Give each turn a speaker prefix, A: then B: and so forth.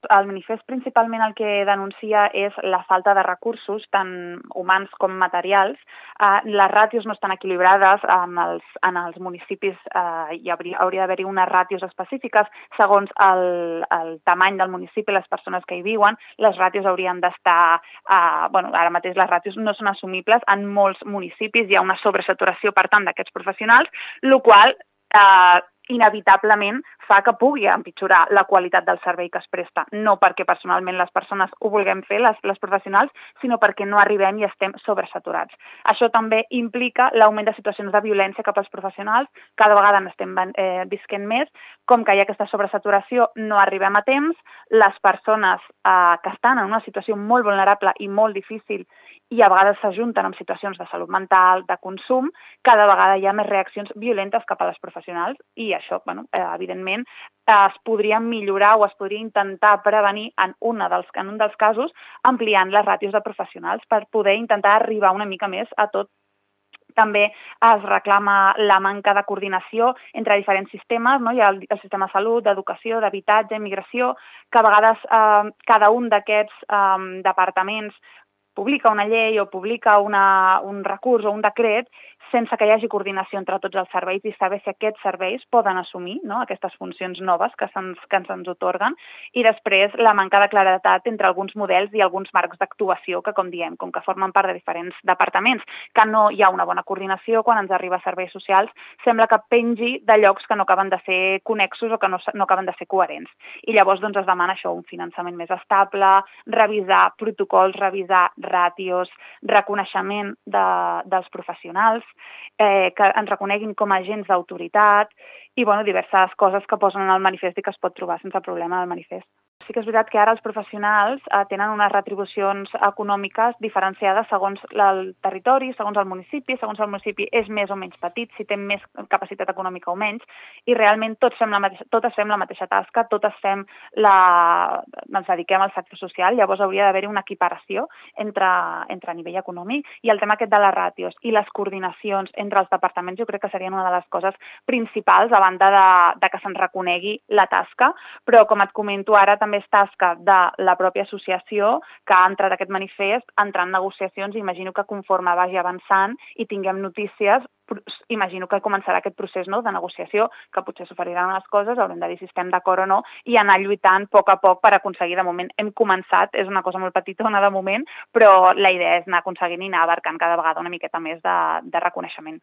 A: El manifest principalment el que denuncia és la falta de recursos, tant humans com materials. Les ràtios no estan equilibrades en els municipis, hauria d'haver-hi unes ràtios específiques segons el tamany del municipi, les persones que hi viuen. Les ràtios haurien d'estar... ara mateix les ràtios no són assumibles. En molts municipis hi ha una sobresaturació, per tant, d'aquests professionals, el qual inevitablement fa que pugui empitjorar la qualitat del servei que es presta, no perquè personalment les persones ho vulguem fer, les professionals, sinó perquè no arribem i estem sobresaturats. Això també implica l'augment de situacions de violència cap als professionals, cada vegada n'estem visquent més, com que hi ha aquesta sobresaturació no arribem a temps, les persones que estan en una situació molt vulnerable i molt difícil i a vegades s'ajunten amb situacions de salut mental, de consum, cada vegada hi ha més reaccions violentes cap a les professionals i això, evidentment, es podria millorar o es podria intentar prevenir en un dels casos ampliant les ràtios de professionals per poder intentar arribar una mica més a tot. També es reclama la manca de coordinació entre diferents sistemes, no? Hi ha el sistema de salut, d'educació, d'habitatge, immigració, que a vegades cada un d'aquests departaments publica una llei o publica un recurs o un decret sense que hi hagi coordinació entre tots els serveis i saber si aquests serveis poden assumir, no?, aquestes funcions noves que se'ns otorguen, i després la manca de claredat entre alguns models i alguns marcs d'actuació que, com diem, com que formen part de diferents departaments, que no hi ha una bona coordinació quan ens arriba a serveis socials, sembla que pengi de llocs que no acaben de ser connexos o que no acaben de ser coherents. I llavors es demana això, un finançament més estable, revisar protocols, revisar ràtios, reconeixement dels professionals, que ens reconeguin com a agents d'autoritat i diverses coses que posen en el manifest i que es pot trobar sense problema al manifest. Sí que és veritat que ara els professionals tenen unes retribucions econòmiques diferenciades segons el territori, segons el municipi és més o menys petit, si té més capacitat econòmica o menys, i realment totes fem la mateixa tasca, ens dediquem al sector social, llavors hauria d'haver-hi una equiparació entre nivell econòmic, i el tema aquest de les ràtios i les coordinacions entre els departaments jo crec que serien una de les coses principals a banda de que se'n reconegui la tasca, però com et comento ara també és tasca de la pròpia associació que ha entrat aquest manifest, entrar en negociacions, i imagino que conforme vagi avançant i tinguem notícies, imagino que començarà aquest procés de negociació, que potser s'oferiran les coses, haurem de dir si estem d'acord o no, i anar lluitant a poc per aconseguir. De moment hem començat, és una cosa molt petitona de moment, però la idea és anar aconseguint i anar abarcant cada vegada una miqueta més de reconeixement.